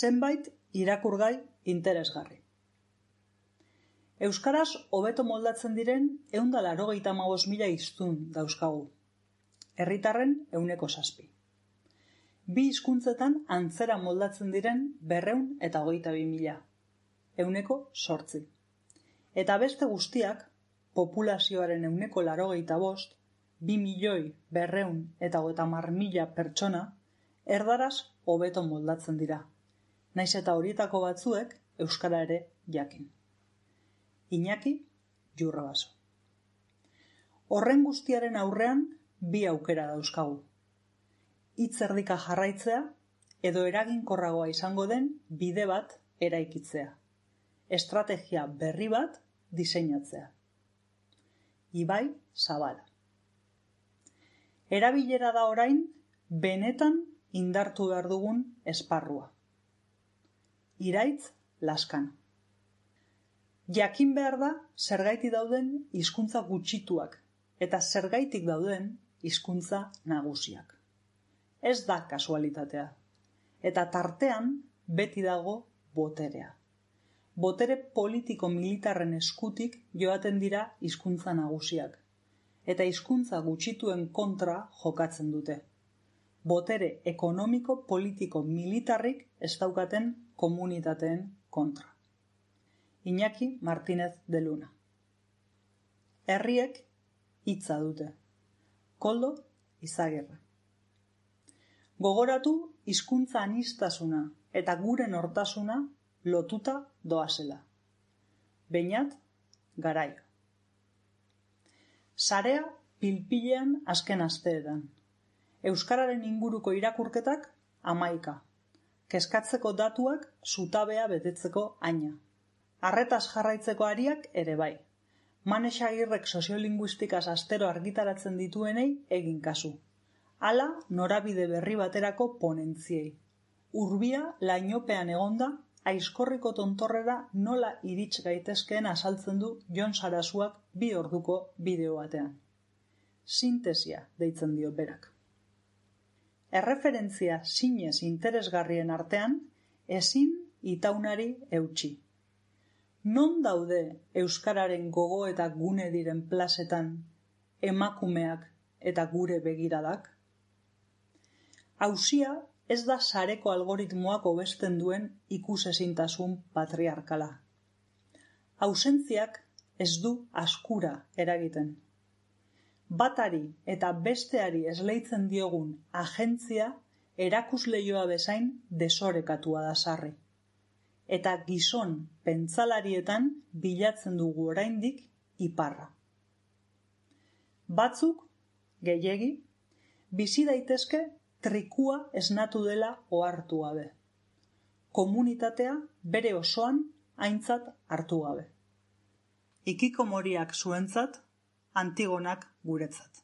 zenbait irakurgai interesgarri. Euskaraz hobeto moldatzen diren 185.000 hiztun dauzkagu. Herritarren 7%. Bi hizkuntzetan antzera moldatzen diren 222.000. 8%. Eta beste guztiak, populazioaren 85%, 2.250.000 pertsona, erdaraz hobeto moldatzen dira. Naiz eta horietako batzuek euskara ere jakin. Iñaki Jurrabaso. Horren guztiaren aurrean bi aukera dauzkagu. Hitz erdika jarraitzea edo eraginkorragoa izango den bide bat eraikitzea. Estrategia berri bat diseinatzea. Ibai Zabala. Erabilera da orain benetan indartu behar dugun esparrua. Iraitz Laskana. Jakin behar da zergaitik dauden hizkuntza gutxituak eta zergaitik dauden hizkuntza nagusiak. Ez da kasualitatea. Eta tartean beti dago boterea. Botere politiko-militarren eskutik joaten dira hizkuntza nagusiak. Eta hizkuntza gutxituen kontra jokatzen dute. Botere ekonomiko-politiko-militarrik ez daukaten komunitateen kontra. Iñaki Martínez de Luna. Herriek hitza dute. Koldo Izagirre. Gogoratu hizkuntza aniztasuna eta gure nortasuna lotuta doazela. Beñat Garaio. Sarea pilpilean azken asteetan. Euskararen inguruko irakurketak 11. Kezkatzeko datuak zutabea betetzeko aina. Arretaz jarraitzeko ariak ere bai. Manex Agirrek soziolinguistikaz astero argitaratzen dituenei egin kasu. Hala norabide berri baterako ponentziei. Urbia lainopean egonda, Aizkorriko tontorrera nola irits gaitezkeen azaltzen du Jon Sarasuak 2 orduko bideo batean. Sintesia deitzen dio berak. Erreferentzia zinez interesgarrien artean, ezin itaunari eutsi. Non daude euskararen gogo eta gune diren plazetan emakumeak eta gure begiradak? Auzia ez da sareko algoritmoak hobesten duen ikusezintasun patriarkala. Ausentziak ez du askura eragiten. Batari eta besteari esleitzen diogun agentzia erakusleioa bezain desorekatua da sarri. Eta gizon pentsalarietan bilatzen dugu oraindik iparra. Batzuk, gehiegi, bizi daitezke trikua esnatu dela ohartu gabe. Komunitatea bere osoan aintzat hartu gabe. Hikikomoriak zuentzat, Antigonak guretzat.